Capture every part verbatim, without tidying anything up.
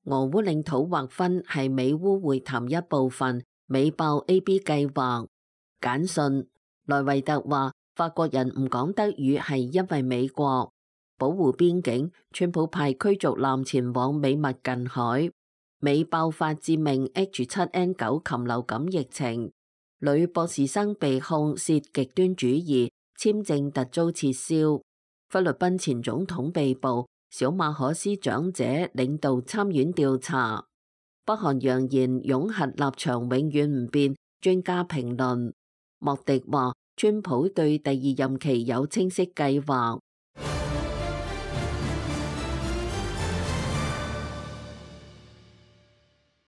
俄烏領土劃分係美烏會談一部分，美爆 A B 計劃。簡訊，萊維特話法國人唔講德語係因為美國保護邊境，川普派驅逐艦前往美墨近海。美爆發致命 H 七 N 九 禽流感疫情，女博士生被控涉極端主義，簽證突遭撤銷。菲律賓前總統被捕，小馬可斯長者領導參院調查。北韓揚言擁核立場永遠唔變，專家評論。莫迪話，川普對第二任期有清晰計劃。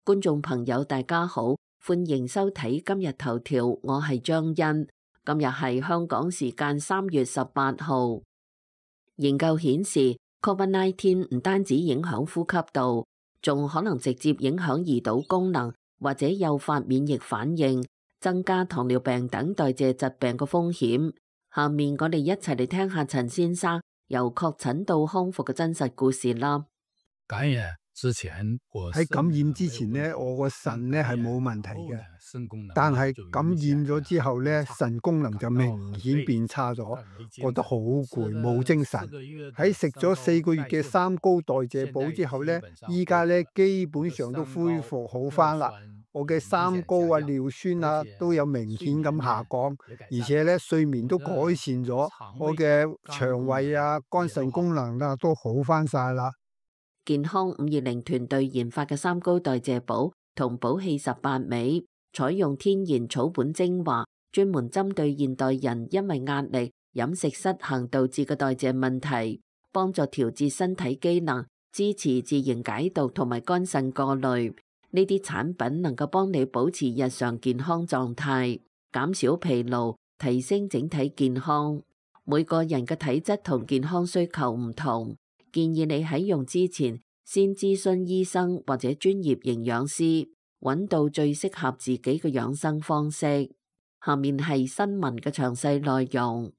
觀眾朋友大家好，歡迎收睇今日頭條，我係張欣。今日係香港時間三月十八號。研究顯示 ，Covid 十九 唔單止影響呼吸道，仲可能直接影響胰島功能，或者誘發免疫反應，增加糖尿病等代謝疾病嘅風險。下面我哋一齊嚟聽下陳先生由確診到康復嘅真實故事啦。感染之前，喺感染之前呢，我個腎呢係冇問題嘅，但係感染咗之後呢，腎功能就明顯變差咗，覺得好攰，冇精神。喺食咗四個月嘅三高代謝補之後呢，依家呢基本上都恢復好返啦。我嘅三高啊、尿酸啊都有明顯咁下降，而且呢睡眠都改善咗，我嘅腸胃啊、肝腎功能啊都好返晒啦。健康五二零團隊研發嘅三高代謝補同補氣十八味，採用天然草本精華，專門針對現代人因為壓力、飲食失衡導致嘅代謝問題，幫助調節身體機能，支持自然解毒同埋肝腎過濾。呢啲產品能夠幫你保持日常健康狀態，減少疲勞，提升整體健康。每個人嘅體質同健康需求唔同。建議你喺用之前先諮詢醫生或者專業營養師，揾到最適合自己嘅養生方式。下面係新聞嘅詳細內容。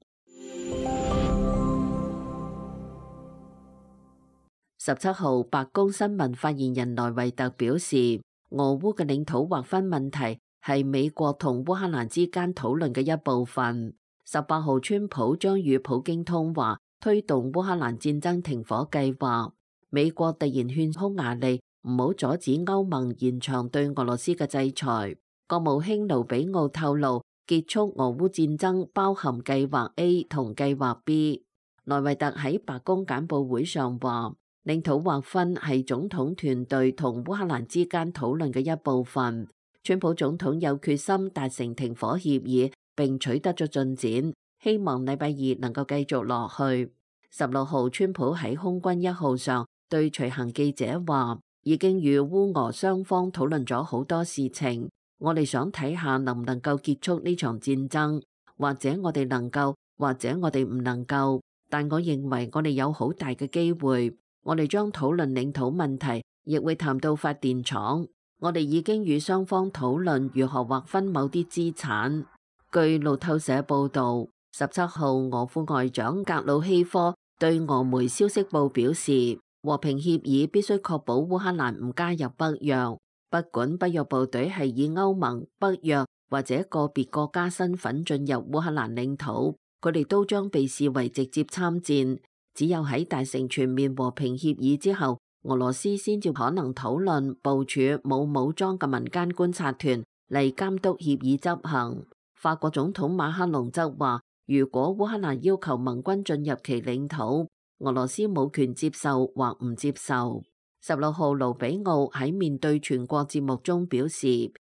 十七號，白宮新聞發言人萊維特表示，俄烏嘅領土劃分問題係美國同烏克蘭之間討論嘅一部分。十八號，川普將與普京通話，推動烏克蘭戰爭停火計劃。美國突然勸匈牙利唔好阻止歐盟延長對俄羅斯嘅制裁。國務卿盧比奧透露，結束俄烏戰爭包含計劃 A 同計劃 B。萊維特喺白宮簡報會上話，領土劃分係總統團隊同烏克蘭之間討論嘅一部分。川普總統有決心達成停火協議，並取得咗進展。希望禮拜二能夠繼續落去。十六號，川普喺空軍一號上對隨行記者話，已經與烏俄雙方討論咗好多事情，我哋想睇下能唔能夠結束呢場戰爭，或者我哋能夠，或者我哋唔能夠，但我認為我哋有好大嘅機會。我哋將討論領土問題，亦會談到發電廠。我哋已經與雙方討論如何劃分某啲資產。據路透社報導，十七號，俄副外長格魯希科對俄媒消息報表示，和平協議必須確保烏克蘭唔加入北約，不管北約部隊係以歐盟、北約或者個別國家身份進入烏克蘭領土，佢哋都將被視為直接參戰。只有喺達成全面和平協議之後，俄羅斯先至可能討論部署冇武裝嘅民間觀察團嚟監督協議執行。法國總統馬克龍則話，如果烏克蘭要求盟軍進入其領土，俄羅斯冇權接受或唔接受。十六號，盧比奧喺面對全國節目中表示，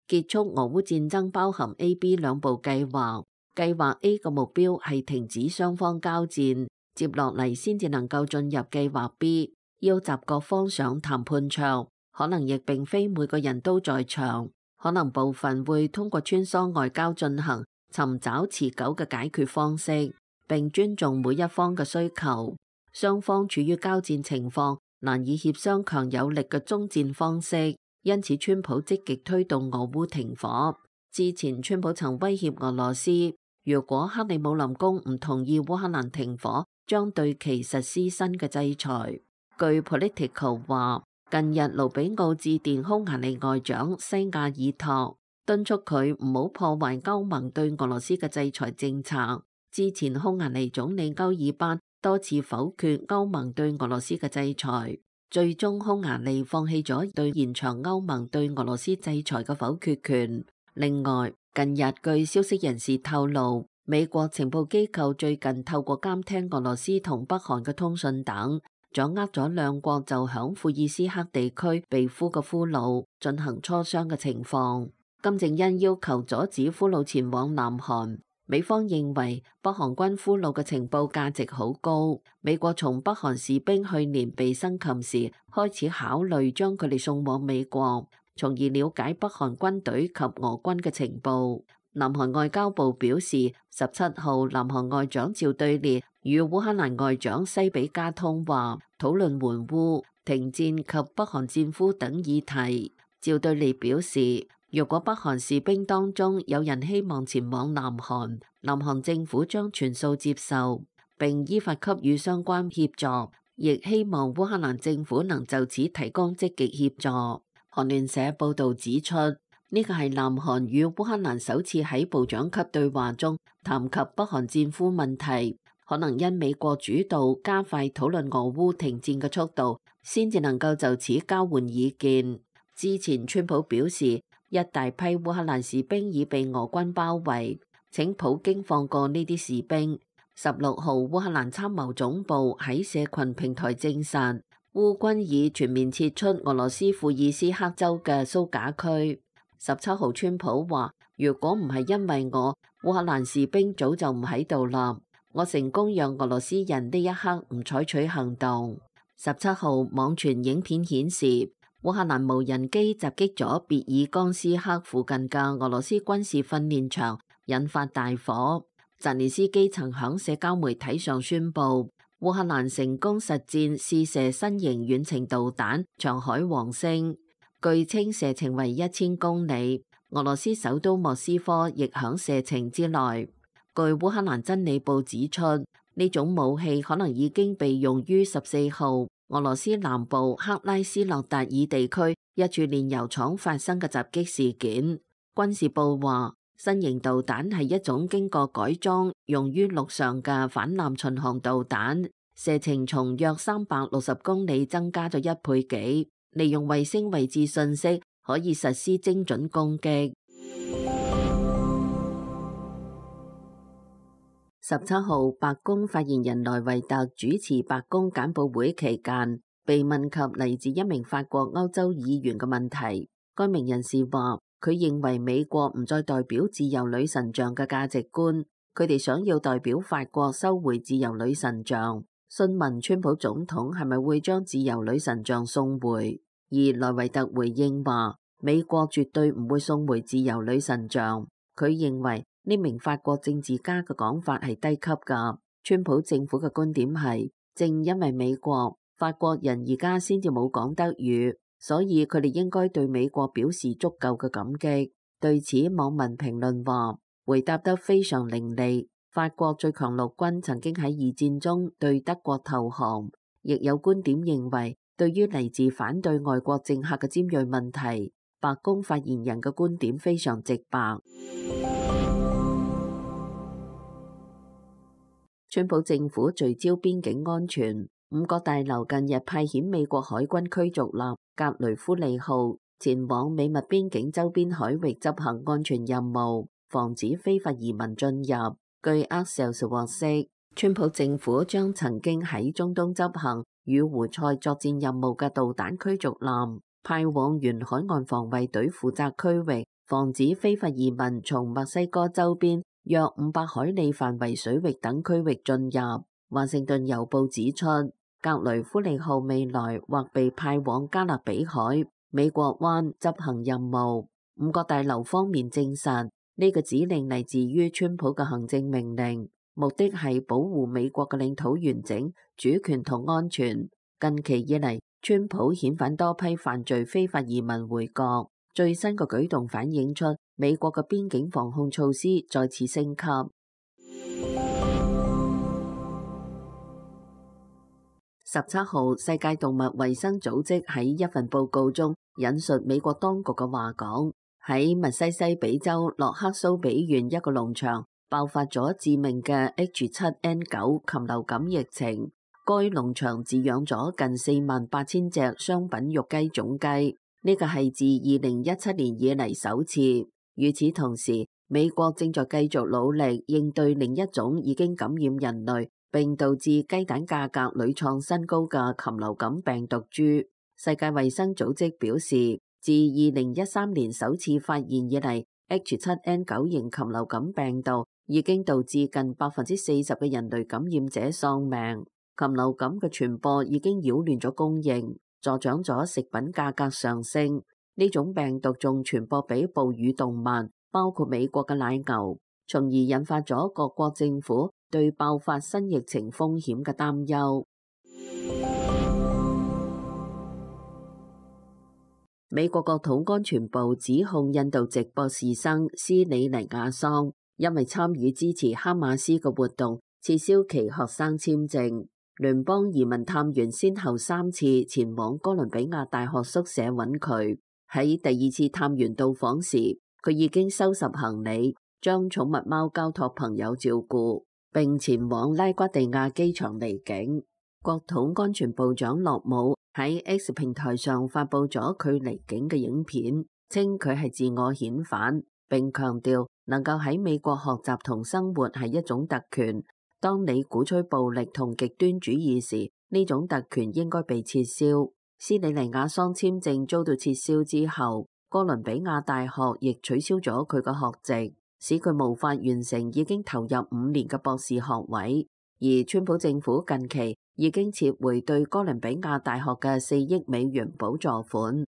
結束俄烏戰爭包含 A、B 兩步計劃。計劃 A 嘅目標係停止雙方交戰，接落嚟先至能夠進入計劃 B， 邀集各方上談判桌。可能亦並非每個人都在場，可能部分會通過穿梭外交進行，尋找持久嘅解決方式，並尊重每一方嘅需求。雙方處於交戰情況，難以協商強有力嘅終戰方式，因此川普積極推動俄烏停火。之前川普曾威脅俄羅斯，如果克里姆林宮唔同意烏克蘭停火，將對其實施新嘅制裁。據 Politico 話，近日盧比奧致電匈牙利外長西亞爾托，敦促佢唔好破壞歐盟對俄羅斯嘅制裁政策。之前匈牙利總理歐爾班多次否決歐盟對俄羅斯嘅制裁，最終匈牙利放棄咗對延長歐盟對俄羅斯制裁嘅否決權。另外，近日據消息人士透露，美國情報機構最近透過監聽俄羅斯同北韓嘅通訊等，掌握咗兩國就響庫爾斯克地區被俘嘅俘虜進行磋商嘅情況。金正恩要求阻止俘虜前往南韓，美方認為北韓軍俘虜嘅情報價值好高，美國從北韓士兵去年被生擒時開始考慮將佢哋送往美國，從而了解北韓軍隊及俄軍嘅情報。南韓外交部表示，十七號南韓外長趙對列與烏克蘭外長西比加通話，討論援烏、停戰及北韓戰俘等議題。趙對列表示，若果北韓士兵當中有人希望前往南韓，南韓政府將全數接受，並依法給予相關協助，亦希望烏克蘭政府能就此提供積極協助。韓聯社報導指出，呢個係南韓與烏克蘭首次喺部長級對話中談及北韓戰俘問題，可能因美國主導加快討論俄烏停戰嘅速度，先至能夠就此交換意見。之前川普表示，一大批烏克蘭士兵已被俄軍包圍，請普京放過呢啲士兵。十六號烏克蘭參謀總部喺社群平台證實，烏軍已全面撤出俄羅斯庫爾斯克州嘅蘇賈區。十七號川普話，如果唔係因為我，烏克蘭士兵早就唔喺度啦。我成功讓俄羅斯人呢一刻唔採取行動。十七號網傳影片顯示，烏克蘭無人機襲擊咗別爾江斯克附近嘅俄羅斯軍事訓練場，引發大火。澤連斯基曾響社交媒體上宣布，烏克蘭成功實戰試射新型遠程導彈長海王星，據稱射程為一千公里。俄羅斯首都莫斯科亦響射程之內。據烏克蘭真理報指出，呢種武器可能已經被用於十四號俄羅斯南部克拉斯諾達爾地區一處煉油廠發生嘅襲擊事件。軍事部話，新型導彈係一種經過改裝用於陸上嘅反艦巡航導彈，射程從約三百六十公里增加咗一倍幾，利用衛星位置信息可以實施精準攻擊。十七號，白宮發言人萊維特主持白宮簡報會期間，被問及嚟自一名法國歐洲議員嘅問題，該名人士話，佢認為美國唔再代表自由女神像嘅價值觀，佢哋想要代表法國收回自由女神像。詢問川普總統係咪會將自由女神像送回，而萊維特回應話，美國絕對唔會送回自由女神像。佢認為呢名法國政治家嘅講法係低級㗎。川普政府嘅觀點係，正因為美國法國人而家先至冇講德語，所以佢哋應該對美國表示足夠嘅感激。對此，網民評論話，回答得非常伶俐。法國最強陸軍曾經喺二戰中對德國投降。亦有觀點認為，對於嚟自反對外國政客嘅尖銳問題，白宮發言人嘅觀點非常直白。川普政府聚焦邊境安全，五角大樓近日派遣美國海軍驅逐艦格雷夫利號前往美墨邊境周邊海域執行安全任務，防止非法移民進入。據 Axios 獲悉，川普政府將曾經喺中東執行與胡塞作戰任務嘅導彈驅逐艦派往沿海岸防衛隊負責區域，防止非法移民從墨西哥周邊約五百海里範圍水域等區域進入。華盛頓郵報指出，格雷夫利號未來或被派往加勒比海、美國灣執行任務。五角大樓方面證實，呢個指令嚟自於川普嘅行政命令，目的係保護美國嘅領土完整、主權同安全。近期以嚟，川普遣返多批犯罪非法移民回國，最新嘅舉動反映出美國嘅邊境防控措施再次升級。十七號，世界動物衛生組織喺一份報告中引述美國當局嘅話講，喺密西西比州洛克蘇比縣一個農場爆發咗致命嘅 H 七 N 九 禽流感疫情。該農場飼養咗近四萬八千隻商品肉雞種雞，呢個係自二零一七年以嚟首次。與此同時，美國正在繼續努力應對另一種已經感染人類並導致雞蛋價格屢創新高嘅禽流感病毒株。世界衛生組織表示，自二零一三年首次發現以嚟 H 七 N 九 型禽流感病毒已經導致近百分之四十嘅人類感染者喪命。禽流感嘅傳播已經擾亂咗供應，助長咗食品價格上升。呢種病毒仲傳播俾哺乳動物，包括美國嘅奶牛，從而引發咗各國政府對爆發新疫情風險嘅擔憂。美國國土安全部指控印度籍博士生斯里尼亞桑因為參與支持哈馬斯嘅活動，撤銷其學生簽證。聯邦移民探員先後三次前往哥倫比亞大學宿舍揾佢。喺第二次探員到訪時，佢已經收拾行李，將寵物貓交託朋友照顧，並前往拉瓜地亞機場離境。國土安全部長洛姆喺 X 平台上發佈咗佢離境嘅影片，稱佢係自我遣返，並強調能夠喺美國學習同生活係一種特權。當你鼓吹暴力同極端主義時，呢種特權應該被撤銷。斯里尼亞桑簽證遭到撤銷之後，哥倫比亞大學亦取消咗佢嘅學籍，使佢無法完成已經投入五年嘅博士學位。而川普政府近期已經撤回對哥倫比亞大學嘅四億美元補助款。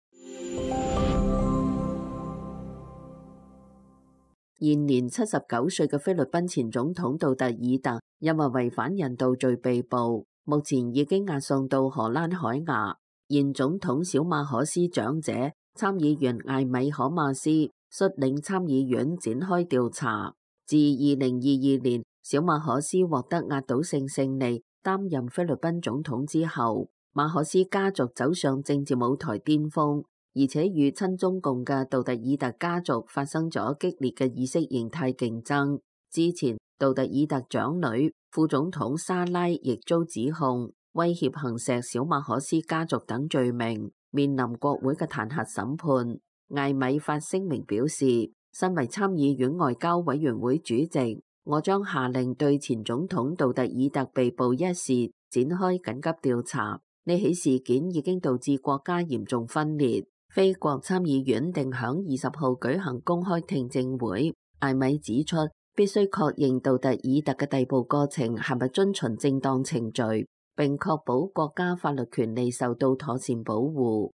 現年七十九歲嘅菲律賓前總統杜特爾特因為違反人道罪被捕，目前已經押送到荷蘭海牙。現總統小馬可斯長者、參議員艾米可馬斯率領參議院展開調查。自二零二二年小馬可斯獲得壓倒性勝利，擔任菲律賓總統之後，馬可斯家族走上政治舞台巔峰。而且與親中共嘅杜特爾特家族發生咗激烈嘅意識形態競爭。之前，杜特爾特長女副總統莎拉亦遭指控威脅行錫小馬可斯家族等罪名，面臨國會嘅彈劾審判。艾米發聲明表示，身為參議院外交委員會主席，我將下令對前總統杜特爾特被捕一事展開緊急調查。呢起事件已經導致國家嚴重分裂。菲國參議院定響二十號舉行公開聽證會。艾米指出，必須確認杜特爾特嘅逮捕過程係咪遵循正當程序，並確保國家法律權利受到妥善保護。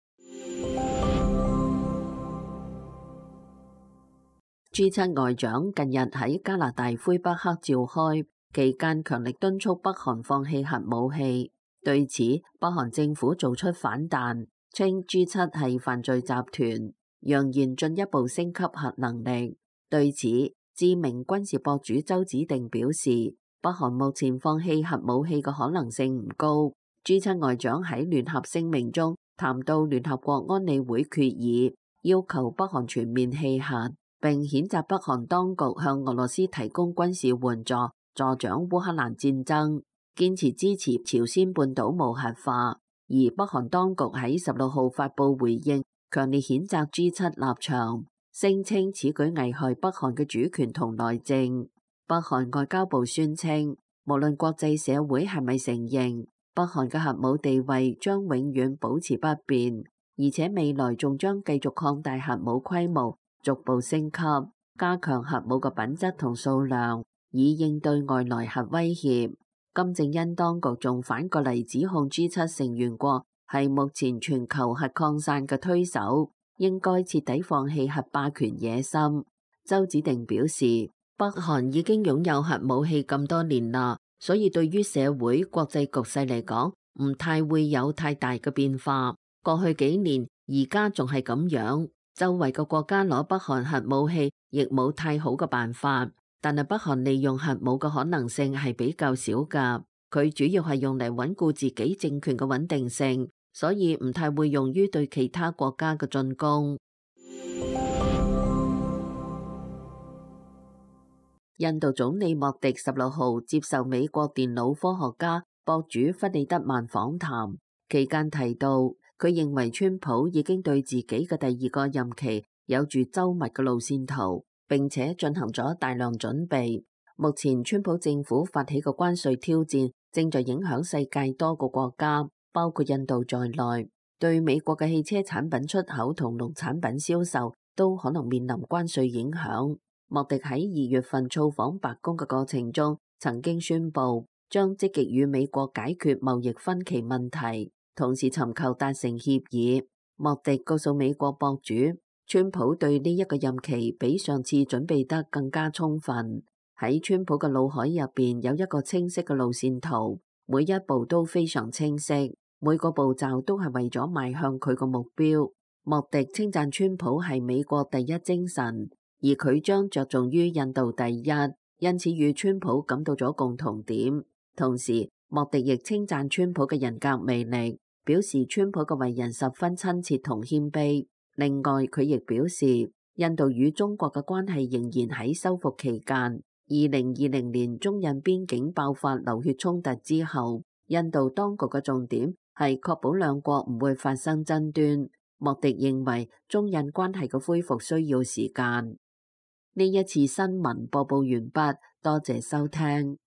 G 七外長近日喺加拿大魁北克召開，期間強力敦促北韓放棄核武器。對此，北韓政府做出反彈，稱 G 七係犯罪集團，揚言進一步升級核能力。對此，知名軍事博主周子定表示，北韓目前放棄核武器嘅可能性唔高。G 七外長喺聯合聲明中談到聯合國安理會決議，要求北韓全面棄核，並譴責北韓當局向俄羅斯提供軍事援助，助長烏克蘭戰爭，堅持支持朝鮮半島無核化。而北韓當局喺十六號發布回應，強烈譴責 G 七立場，聲稱此舉危害北韓嘅主權同內政。北韓外交部宣稱，無論國際社會係咪承認，北韓嘅核武地位將永遠保持不變，而且未來仲將繼續擴大核武規模，逐步升級，加強核武嘅品質同數量，以應對外來核威脅。金正恩當局仲反過嚟指控 G 七成員國係目前全球核擴散嘅推手，應該徹底放棄核霸權野心。周子定表示，北韓已經擁有核武器咁多年啦，所以對於社會國際局勢嚟講，唔太會有太大嘅變化。過去幾年，而家仲係咁樣，周圍嘅國家攞北韓核武器，亦冇太好嘅辦法。但係北韓利用核武嘅可能性係比較少㗎。佢主要係用嚟穩固自己政權嘅穩定性，所以唔太會用於對其他國家嘅進攻。印度總理莫迪十六號接受美國電腦科學家博主弗里德曼訪談，期間提到，佢認為川普已經對自己嘅第二個任期有住周密嘅路線圖，並且進行咗大量準備。目前川普政府發起嘅關稅挑戰正在影響世界多個國家，包括印度在內，對美國嘅汽車產品出口同農產品銷售都可能面臨關稅影響。莫迪喺二月份造訪白宮嘅過程中，曾經宣布將積極與美國解決貿易分歧問題，同時尋求達成協議。莫迪告訴美國博主，川普對呢一個任期比上次準備得更加充分。喺川普嘅腦海入邊有一個清晰嘅路線圖，每一步都非常清晰，每個步驟都係為咗邁向佢個目標。莫迪稱讚川普係美國第一精神，而佢將着重於印度第一，因此與川普感到咗共同點。同時，莫迪亦稱讚川普嘅人格魅力，表示川普嘅為人十分親切同謙卑。另外，佢亦表示，印度與中國嘅關係仍然喺修復期間。二零二零年中印邊境爆發流血衝突之後，印度當局嘅重點係確保兩國唔會發生爭端。莫迪認為中印關係嘅恢復需要時間。呢一次新聞播報完畢，多謝收聽。